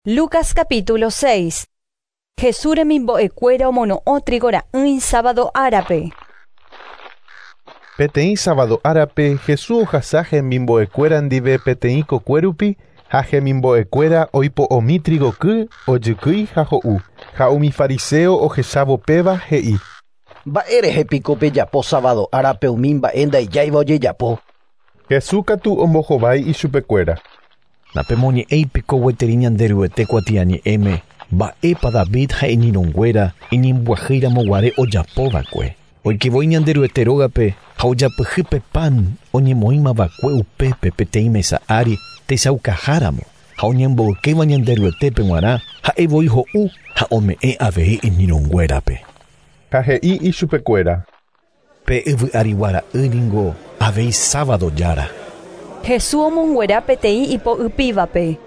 Lucas capítulo 6. Jesús remimbo'ekuéra omono'õ trigo ra'ỹi sábado árape. Peteĩ sábado árape Jesús ohasa hemimbo'ekuéra ndive peteĩ kokue rupi ha hemimbo'ekuéra oipo'omi trigoky, ojykýi ha ho'u. Ha umi fariseo ohechávo péva he'i: Mba'érehe piko pejapo sábado árape umi mba'e ndaijáiva ojejapo. Jesús katu ombohovái ichupekuéra. Napemoñe'ẽi piko gueteri Ñanderuete kuatiañe'ẽme mba'épa David ha iñirũnguéra iñembyahýiramoguare ojapova'ekue. Oikévoi Ñanderuete rógape ha ojapyhy pe pan oñemoĩmava'ekue upépe peteĩ mesa ári techaukaháramo ha oñemboykéva Ñanderuetépe g̃uarã ha'evoi ho'u ha ome'ẽ avei iñirũnguérape. Ha he'i ichupekuéra. Pe yvy arigua ra'y ningo avei sábado jára. Jesús omonguera peteĩ ipo'ypívape.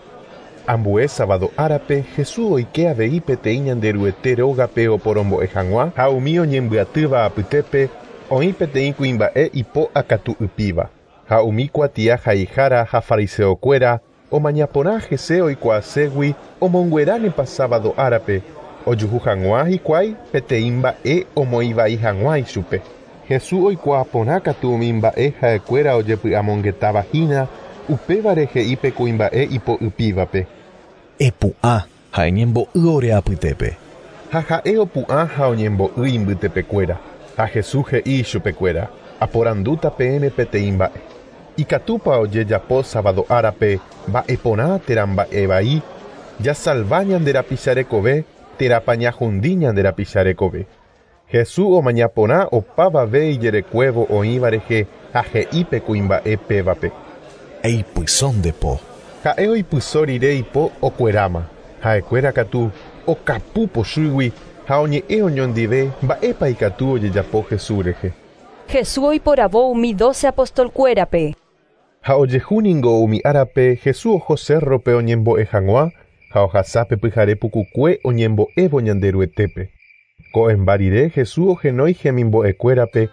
Ambue sábado árape Jesús oike avei peteĩ Ñanderuete rógape oporombo'e hag̃ua ha umi oñembyatýva apytépe oĩ peteĩ kuimba'e ipo akatu'ypíva. Ha umi kuatia haihára ha fariseokuéra omañaporã hese oikuaaségui omongueránepa sábado árape ojuhu hag̃ua hikuái peteĩ mba'e omoĩvai hag̃ua ichupe. Jesús oikuaaporã katu umi mba'e ha'ekuéra ojepy'amongetáva hína upévare he'i pe kuimba'e ipo'ypívape. Epu'ã ha eñembo'y ore apytépe. Ha ha'e opu'ã ha oñembo'y imbytepekuéra. Ha Jesús he'i ichupekuéra: Aporandúta peẽme peteĩ mba'e. Ikatúpa ojejapo sábado árape mba'eporã térã mba'evai, jasalva ñande rapicha rekove térãpa ñahundi ñande rapicha rekove. Jesús omañaporã opavave ijerekuévo oĩva rehe ha he'i pe kuimba'e pévape. Eipyso nde po. Ha'e oipyso rire ipo okueráma. Ha'ekuéra katu okapu pochýgui ha oñe'ẽ oñondive mba'épa ikatu ojejapo Jesús rehe. Jesús oiporavo umi 12 apostolkuérape. Ha ojehu ningo umi árape Jesús oho cérrope oñembo'e hag̃ua ha ohasápe pyhare pukukue oñembo'évo Ñanderuetépe. Ko'ẽmba rire Jesús ohenói hemimbo'ekuérape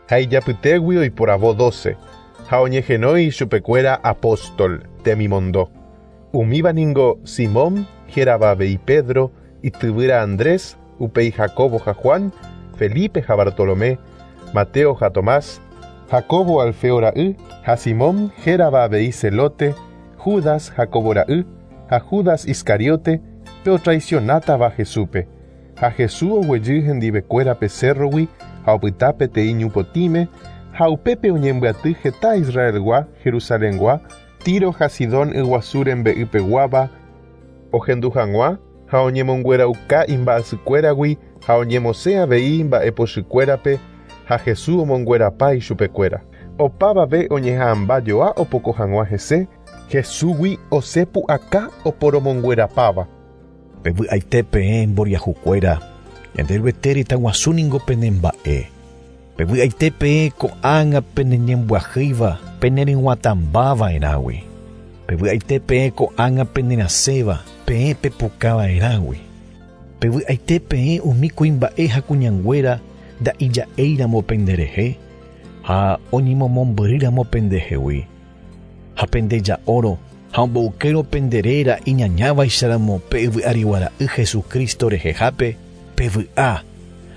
ha ijapytégui oiporavo 12 ha oñehenói ichupekuéra apóstol temimondo. Umíva ningo Simón, hérava avei Pedro, ityvýra Andrés, upéi Jacobo ha Juan, Felipe ha Bartolomé, Mateo ha Tomás, Jacobo Alfeo ra'y ha Simón hérava avei Zelote, Judas Jacobo ra'y ha Judas Iscariote pe otraicionátava Jesúspe. Ha Jesús oguejy hendivekuéra pe cérrogui ha opyta peteĩ ñupotĩme ha upépe oñembyaty heta Israelgua, Jerusalengua, Tiro ha Sidón yguasu rembe'ypeguáva ohendu hag̃ua ha oñemonguerauka imba'asykuéragui ha oñemosẽ avei mba'epochykuérape ha Jesús omonguerapa ichupekuéra. Opavave oñeha'ãmba joa opoko hag̃ua hese, Jesúsgui osẽ pu'aka oporomonguerapáva. Pevy'aite peẽ mboriahukuéra, Ñanderuete retãguasu ningo penemba'e. Pevy'aite peẽ ko'ág̃a peneñembyahýiva peneryg̃uatãmbava'erãgui. Pevy'aite peẽ ko'ág̃a penerasẽva peẽ pepukava'erãgui. Pevy'aite peẽ umi kuimba'e ha kuñanguéra nda'ija'éiramo penderehe ha oñemomombyrýramo pendehegui. Ha pendeja'órõ ha omboykérõ pende réra iñañávaicháramo pe yvy arigua ra'y Jesucristo rehehápe, pevy'a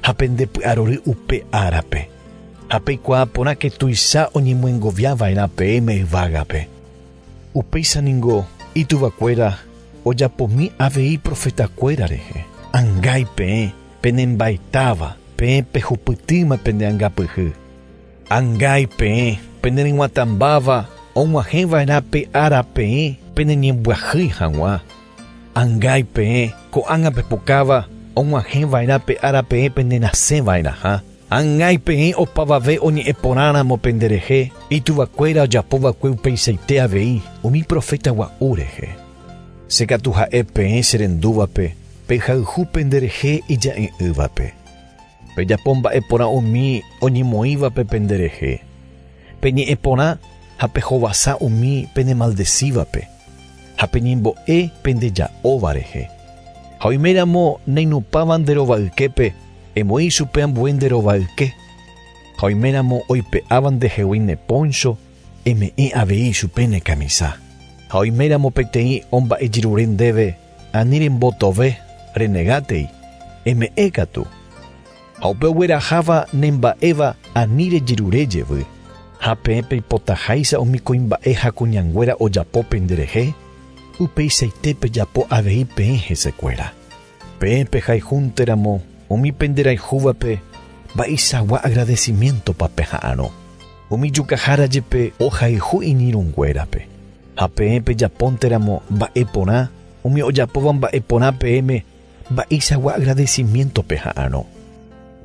ha pendepy'arory upe árape. Ha peikuaa porãke tuicha oñemyengoviava'erã peẽme yvágape. Upéicha ningo ituvakuéra ojapomi avei profetakuéra rehe. Angái peẽ penemba'etáva, peẽ pehupytýma pende angapyhy. Angái peẽ peneryg̃uatãmbáva og̃uahẽva'erã pe ára peẽ peneñembyahýi hag̃ua. Angái peẽ ko'ág̃a pepukáva og̃uahẽva'erã pe ára peẽ penerasẽva'erãha. Angái peẽ opavave oñe'ẽporãramo penderehe, ituvakuéra ojapova'ekue upeichaite avei umi profeta gua'u rehe. Che katu ha'e peẽ cherendúvape pehayhu penderehe ija'e'ỹvape. Pejapo mba'eporã umi oñemoĩvape penderehe. Peñe'ẽporã ha pehovasa umi penemaldecívape ha peñembo'e pendeja'óva rehe. Ha oiméramo neinupãva nde rovayképe emoĩ chupe ambue nde rovayke. Ha oiméramo oipe'áva ndehegui ne poncho eme'ẽ avei chupe ne kamisa. Ha oiméramo peteĩ omba'ejerure ndéve Ani rembotove, renegátei, eme'ẽ katu. Ha upe ogueraháva nemba'éva ani rejerure jevy. Ha peẽ peipotaháicha umi kuimba'e ha kuñanguéra ojapo penderehe, upeichaite pejapo avei peẽ hesekuéra. Peẽ pehayhúnteramo umi penderayhúvape mba'eichagua agradecimiento-pa peha'arõ. Umi jukahára jepe ohayhu iñirũnguérape. Ha peẽ pejapónteramo mba'e porã, umi ojapóva mba'e porã peẽme mba'eichagua agradecimiento peha'arõ.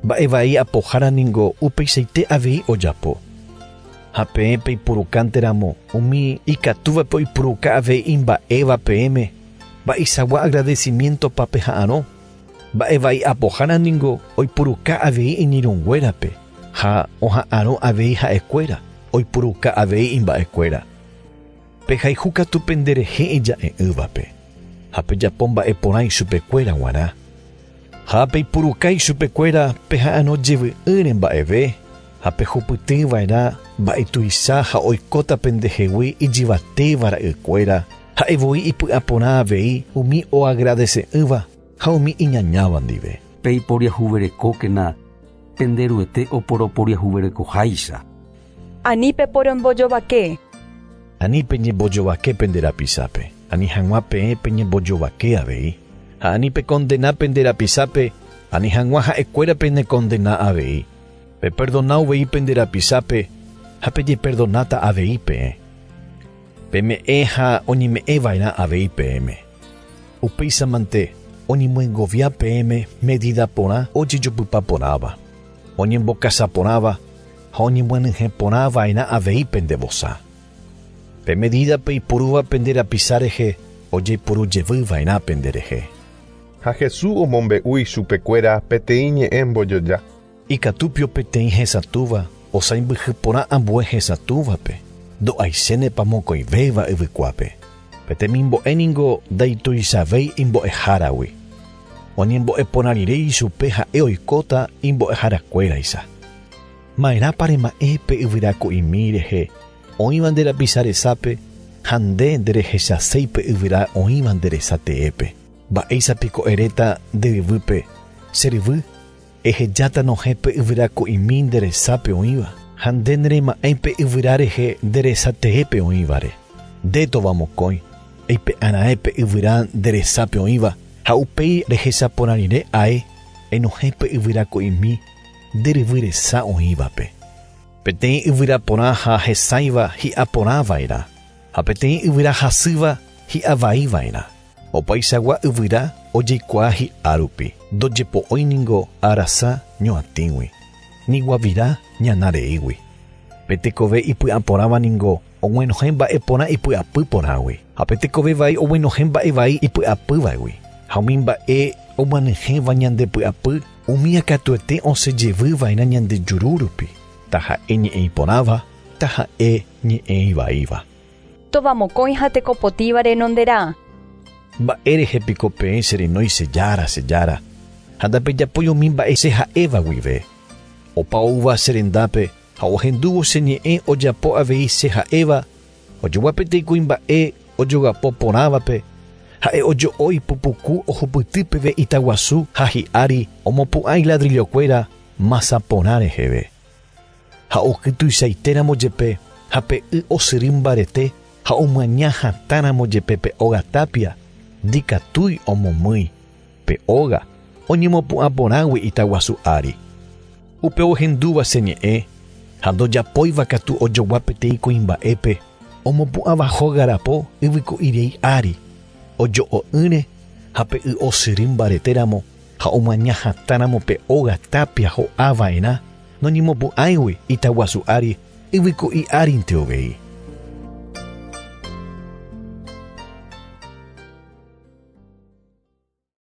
Mba'e vai apohára ningo upeichaite avei ojapo. Ha peẽ peipurukánteramo umi ikatúvape oipuruka avei imba'éva peẽme mba'eichagua agradecimiento-pa peha'arõ. Mba'e vai apohára ningo oipuruka avei iñirũnguérape ha oha'arõ avei ha'ekuéra oipuruka avei imba'ekuéra. Pehayhu katu penderehe ija'e'ỹvape ha pejapo mba'e porã ichupekuéra g̃uarã. Ha peipuruka ichupekuéra peha'arõ jevy'ỹre mba'eve ha pehupytyva'erã mba'etuicha ha oikóta pendehegui ijyvatéva ra'ykuéra ha'evoi ipy'aporã avei umi oagradese'ỹva ha umi iñañáva ndive. Peiporiahuverekókena penderuete oporoporiahuverekoháicha. Ani peporombojovake. Ani peñembojovake pende rapisápe, ani hag̃ua peẽ peñembojovake avei. Ha ani pekondena pende rapisápe, ani hag̃ua ha'ekuéra penekondena avei. Peperdona uvei pende rapisápe ha pejeperdonáta avei peẽ. Peme'ẽ ha oñeme'ẽva'erã avei peẽme. Upéichamante oñemyengovia peẽme medida porã ojejopypa porãva, oñembokasa porãva ha oñemyenyhẽ porãva'erã avei pende vosa. Pe medida peipurúva pende rapisa rehe ojeipuru jevyva'erã penderehe. Ha Jesús omombe'u ichupekuéra peteĩ ñe'ẽ mbojoja. Ikatúpio peteĩ hesatũva osãimbyhy porã ambue hesatũvape, ndo'aichénepa mokõivéva yvykuápe. Petemimbo'e ningo ndaituichavéi imbo'eháragui. Oñembo'e porã rire ichupe ha'e oikóta imbo'eharakuéraicha. Ma'erãpa rema'ẽ pe yvyraku'imi rehe oĩva nde rapisa resápe ha nde nderehechaséi pe yvyra oĩva nde resa teépe. Mba'éichapiko eréta nde yvýpe, che ryvy, ehejáta nohẽ pe yvyraku'imi nde resápe oĩva, ha nde nerema'ẽi pe yvyra rehe nde resa teépe oĩvare. Nde tovamokõi, eipe'arãe pe yvyra nde resápe oĩva ha upéi rehechaporã rire ae enohẽ pe yvyraku'imi nde ryvy resa oĩvape. Peteĩ yvyra porã ha hesãiva hi'a porãva'erã, ha peteĩ yvyra hasýva hi'avaiva'erã. Opaichagua yvyra ojeikuaa hi'a rupi, ndojepo'ói ningo arasa ñoatĩgui, ni guavira ñana reígui. Pe tekove ipy'aporãva ningo oguenohẽ mba'e porã ipy'apy porãgui, ha pe tekove vai oguenohẽ mba'e vai ipy'apývagui. Ha umi mba'e omyanyhẽva ñande py'apy, umi akatuete osẽjevyva'erã ñande juru rupi, taha'e ñe'ẽ iporãva, taha'e ñe'ẽ ivaíva. Tovamokõi ha tekopotíva renonderã. Mba'e piko peẽ cherenói che Jára, che Jára, ha ndapejapói umi mba'e che ha'éva guive. Opa oúva che rendápe ha ohendúvo che ñe'ẽ ojapo avei che ha'éva, ojogua peteĩ kuimba'e ojogapo porãvape, ha'e ojo'o ipupuku ohupyty peve itaguasu ha hi'ári omopu'ã iladrillokuéra masa porã reheve. Ha oky tuichaitéramo jepe ha pe y osyry mbarete ha omyaña hatãramo jepe pe óga tápia, ndikatúi omomýi pe óga oñemopu'ã porãgui itaguasu ári. Upe ohendúva che ñe'ẽ ha ndojapóiva katu ojogua peteĩ kuimba'épe omopu'ãva hóga rapo yvyku'irei ári, ojo'o'ỹre ha pe y osyry mbaretéramo ha omyaña hatãramo pe óga tápia ho'ava'erã noñemopu'ãigui itaguasu ári yvyku'i árinte uvei.